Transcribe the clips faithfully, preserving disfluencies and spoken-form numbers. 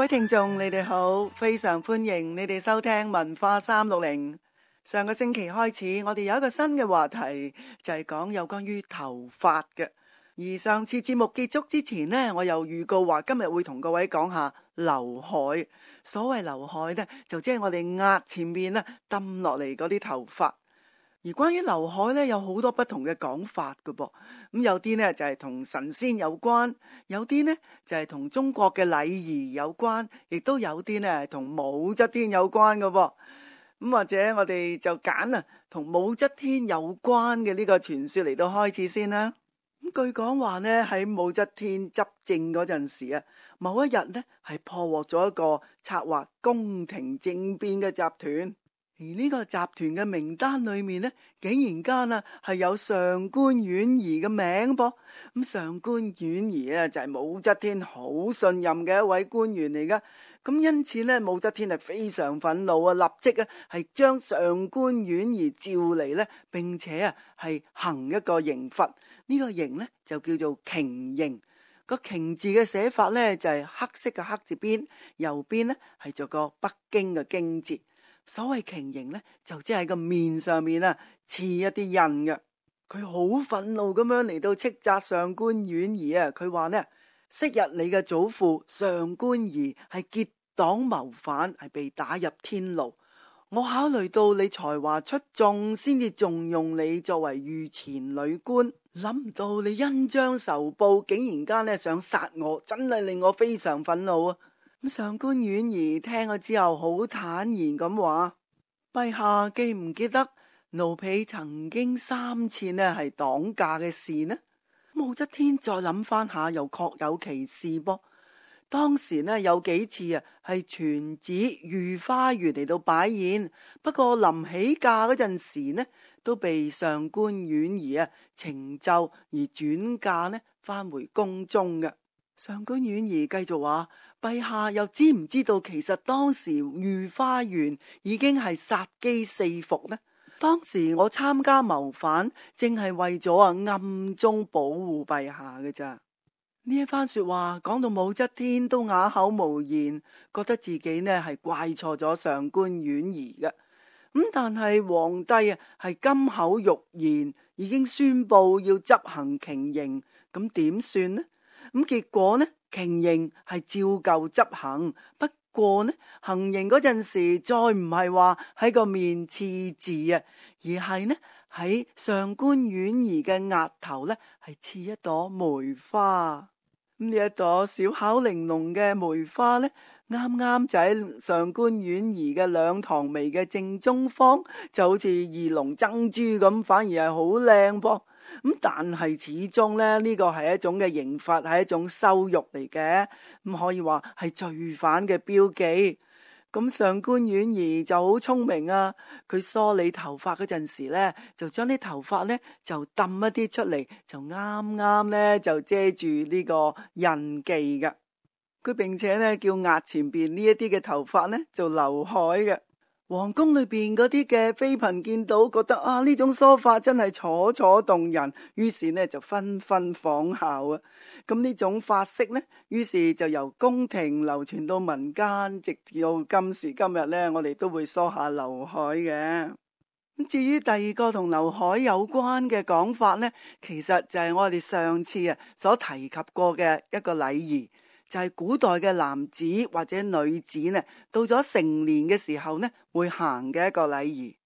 位聽眾，你哋好，非常歡迎你哋收聽文化三六零。上個星期開始，我哋有一個新嘅話題，就係講有關於頭髮嘅。而上次節目結束之前呢，我又預告話今日會同各位講下劉海。所謂劉海呢，就即係我哋額前面呢揼落嚟嗰啲頭髮。而關於劉海呢，有好多不同嘅講法㗎噃。咁有啲呢就係同神仙有關，有啲呢就係同中國嘅禮儀有關，亦都有啲呢係同武則天有關㗎噃。咁或者我哋就揀啊同武則天有關嘅呢個傳說嚟到開始先啦。咁據講話呢，喺武則天執政嗰陣時啊，某一日呢係破獲咗一個策劃宮廷政變嘅集團。而呢個集團嘅名單裏面呢，竟然間啊係有上官婉兒嘅名噃。咁上官婉兒啊就係武則天好信任嘅一位官員嚟噶。咁因此呢，武則天係非常憤怒啊，立即啊係將上官婉兒召嚟呢，並且啊係行一個刑罰。呢個刑呢就叫做瓊刑。個瓊字嘅寫法呢，就係黑色嘅黑字邊，右邊呢係做個北京嘅京字。所謂瓊刑呢，就即係喺個面上面啊刺一啲印嘅。佢好憤怒咁樣嚟到斥責上官婉兒啊！佢話呢，昔日你嘅祖父上官儀係結黨謀反，係被打入天牢。我考慮到你才華出眾，先至重用你作為御前女官。諗唔到你恩將仇報，竟然間呢想殺我，真係令我非常憤怒啊！咁上官婉兒聽咗之後，好坦然咁話：陛下記唔記得奴婢曾經三次呢係擋駕嘅事呢？武則天再諗翻下，又確有其事噃。當時呢有幾次啊係傳旨御花園嚟到擺宴，不過臨起駕嗰陣時呢，都被上官婉兒啊呈奏而轉駕呢翻回宮中嘅。上官婉兒繼續話：陛下又知唔知道其實當時御花園已經係殺機四伏呢？當時我參加謀反，正係為咗啊暗中保護陛下嘅咋。呢一番說話講到武則天都啞口無言，覺得自己呢係怪錯咗上官婉兒嘅。咁但係皇帝啊係金口玉言，已經宣布要執行瓊刑，咁點算呢？咁結果呢，瓊刑係照舊執行，不過呢，行刑嗰陣時再唔係話喺個面刺字啊，而係呢喺上官婉兒嘅額頭呢係刺一朵梅花。咁呢一朵小巧玲瓏嘅梅花呢，啱啱就喺上官婉兒嘅兩堂眉嘅正中方，就好似二龍爭珠咁，反而係好靚噃。咁但係始終咧，呢個係一種嘅刑罰，係一種羞辱嚟嘅，咁可以話係罪犯嘅標記。咁上官婉兒就好聰明啊，佢梳理頭髮嗰陣時呢，就將啲頭髮呢就揼一啲出嚟，就啱啱呢就遮住呢個印記噶。佢並且呢叫額前邊呢一啲嘅頭髮呢做劉海嘅。皇宮裏邊嗰啲嘅妃嬪見到，覺得啊呢種梳法真係楚楚動人，於是呢就紛紛仿效啊。咁呢種髮式呢，於是就由宮廷流傳到民間，直到今時今日呢，我哋都會梳下劉海嘅。咁至於第二個同劉海有關嘅講法呢，其實就係我哋上次啊所提及過嘅一個禮儀。就係古代嘅男子或者女子呢，到咗成年嘅時候呢，會行嘅一個禮儀。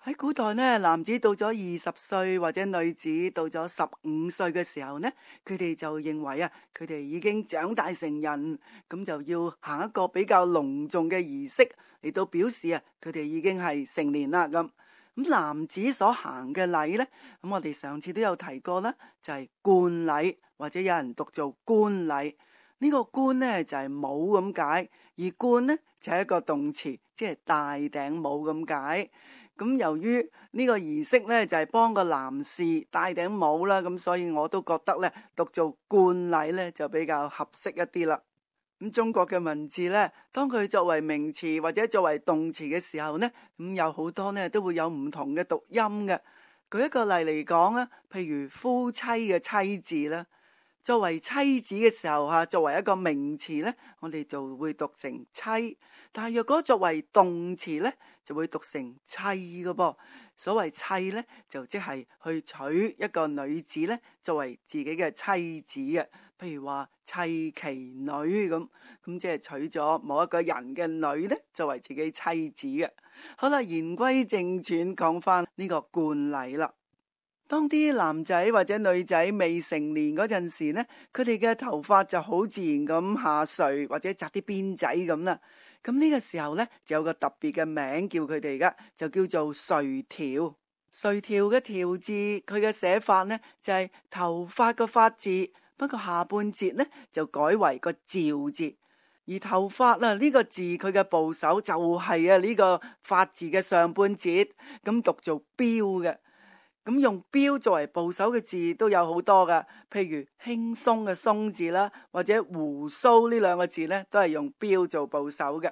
喺古代呢，男子到咗二十歲或者女子到咗十五歲嘅時候呢，佢哋就認為啊，佢哋已經長大成人，咁就要行一個比較隆重嘅儀式嚟到表示啊，佢哋已經係成年啦咁。咁男子所行嘅禮呢，咁我哋上次都有提過啦，就係冠禮或者有人讀做冠禮。呢個冠呢就係帽咁解，而冠呢就係一個動詞，即係戴頂帽咁解。咁由於呢個儀式呢就係幫個男士戴頂帽啦，咁所以我都覺得呢讀做冠禮呢就比較合適一啲啦。咁中國嘅文字呢，當佢作為名詞或者作為動詞嘅時候呢，咁有好多呢都會有唔同嘅讀音嘅。舉一個例嚟講啊，譬如夫妻嘅妻字啦。作為妻子嘅時候吓，作為一個名詞呢，我哋就會讀成妻。但係若果作為動詞呢，就會讀成妻嘅噃。所謂妻呢，就即係去娶一個女子呢，作為自己嘅妻子嘅。譬如話妻其女咁，咁即係娶咗某一個人嘅女呢，作為自己妻子嘅。好啦，言歸正傳，講翻呢個慣例啦。當啲男仔或者女仔未成年嗰陣時呢，佢哋嘅頭髮就好自然咁下垂或者紮啲辮仔咁啦。咁呢個時候呢，就有個特別嘅名叫佢哋噶，就叫做垂髫。垂髫嘅髫字，佢嘅寫法呢，就係頭髮個髮字，不過下半截呢，就改為個趙字。而頭髮啊呢個字，佢嘅部首就係啊呢個髮字嘅上半截，咁讀做標嘅。咁用標作為部首嘅字都有好多噶，譬如輕鬆嘅鬆字啦，或者鬍鬚呢兩個字呢，都係用標做部首嘅。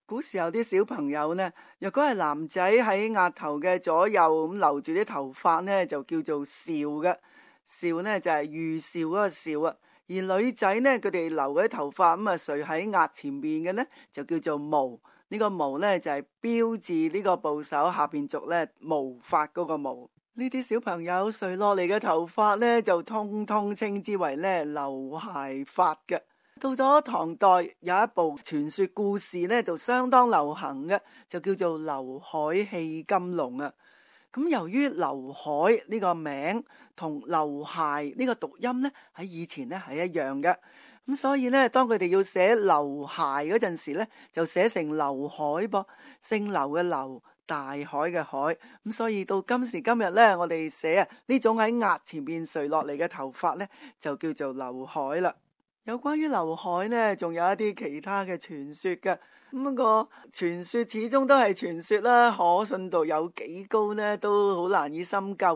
古時候啲小朋友呢，若果係男仔喺額頭嘅左右咁留住啲頭髮呢，就叫做少嘅。少呢就係預兆嗰個少啊。而女仔呢，佢哋留嗰啲頭髮咁啊垂喺額前面嘅呢，就叫做毛。呢個毛呢，就係標字呢個部首下邊續呢毛髮嗰個毛。呢啲小朋友垂落嚟嘅頭髮呢，就通通稱之為呢劉海髮嘅。到咗唐代，有一部傳說故事呢，就相當流行嘅，就叫做《劉海戲金龍》啊。咁由於劉海呢個名同劉諧呢個讀音呢，喺以前呢係一樣嘅，咁所以呢，當佢哋要寫劉諧嗰陣時呢，就寫成劉海噃，姓劉嘅劉，大海嘅海。咁所以到今時今日呢，我哋寫啊呢種喺額前邊垂落嚟嘅頭髮呢，就叫做劉海啦。有關於劉海呢，仲有一啲其他嘅傳說嘅。咁不過傳說始終都係傳說啦，可信度有幾高呢，都好難以深究。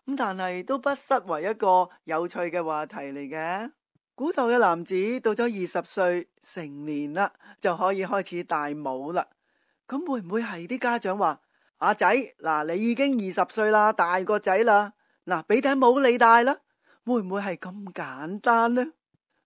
咁但係都不失為一個有趣嘅話題嚟嘅。古代嘅男子到咗二十歲成年啦，就可以開始戴帽啦。咁會唔會係啲家長話：阿仔，嗱，你已經二十歲啦，大個仔啦，嗱，俾頂帽你戴啦？會唔會係咁簡單呢？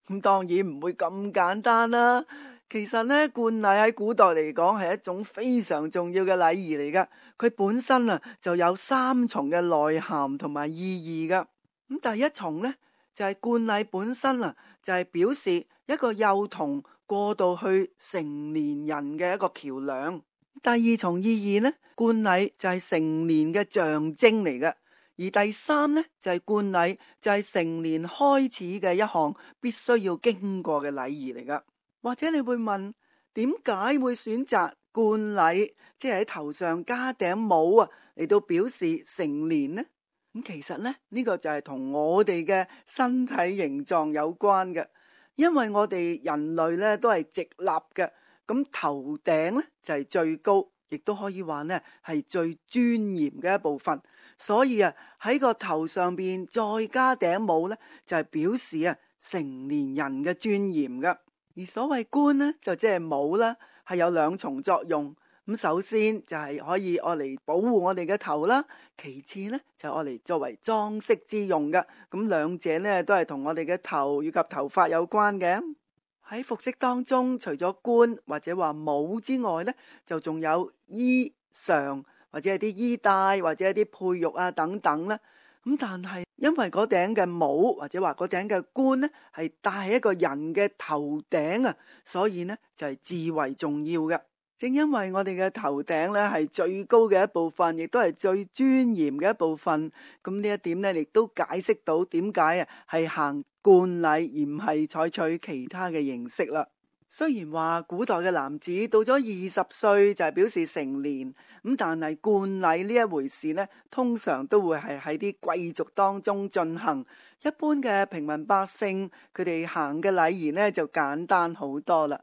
咁當然唔會咁簡單啦。其實呢，冠禮喺古代嚟講係一種非常重要嘅禮儀嚟噶。佢本身啊就有三重嘅內涵同埋意義噶。咁第一重呢，就係冠禮本身啊，就係表示一個幼童過渡去成年人嘅一個橋樑。第二重意義呢，冠禮就係成年嘅象徵嚟嘅。而第三呢，就係冠禮，就係成年開始嘅一項必須要經過嘅禮儀嚟噶。或者你會問，點解會選擇冠禮，即係喺頭上加頂帽啊，嚟到表示成年呢？咁其實呢，呢個就係同我哋嘅身體形狀有關嘅。因為我哋人類呢都係直立嘅，咁頭頂呢就係最高，亦都可以話呢係最尊嚴嘅一部分。所以啊，喺個頭上邊再加頂帽呢，就係表示啊成年人嘅尊嚴噶。而所謂冠呢，就即係帽啦，係有兩重作用。咁首先就係可以愛嚟保護我哋嘅頭啦，其次呢就愛嚟作為裝飾之用噶。咁兩者呢都係同我哋嘅頭以及頭髮有關嘅。喺服飾當中，除咗冠或者話帽之外呢，就仲有衣裳或者係啲衣帶或者係啲佩玉啊等等啦。咁但係因為嗰頂嘅帽或者話嗰頂嘅冠呢係戴喺一個人嘅頭頂啊，所以呢就係至為重要嘅。正因為我哋嘅頭頂呢係最高嘅一部分，亦都係最尊嚴嘅一部分，咁呢一點呢亦都解釋到點解啊係行冠禮而唔係採取其他嘅形式啦。雖然話古代嘅男子到咗二十歲就係表示成年，咁但係冠禮呢一回事呢，通常都會係喺啲貴族當中進行。一般嘅平民百姓，佢哋行嘅禮儀呢就簡單好多啦。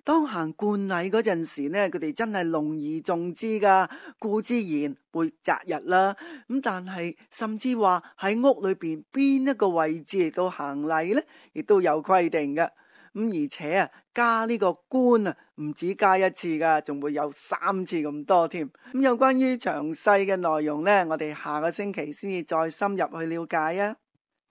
當行冠禮嗰陣時呢，佢哋真係隆而重之噶，固之然會擇日啦。咁但係甚至話喺屋裏邊邊一個位置嚟到行禮呢，亦都有規定嘅。咁而且啊，加呢個冠啊，唔止加一次噶，仲會有三次咁多添。咁有關於詳細嘅內容呢，我哋下個星期先至再深入去了解啊。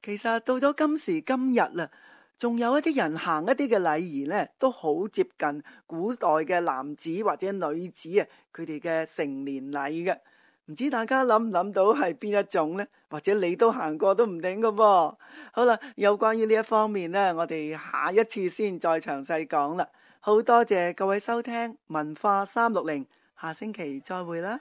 其實到咗今時今日啦，仲有一啲人行一啲嘅禮儀呢，都好接近古代嘅男子或者女子啊，佢哋嘅成年禮嘅。唔知大家諗唔諗到係邊一種呢？或者你都行過都唔定㗎噃。好啦，有關於呢一方面呢，我哋下一次先再詳細講啦。好多謝各位收聽文化三六零，下星期再會啦。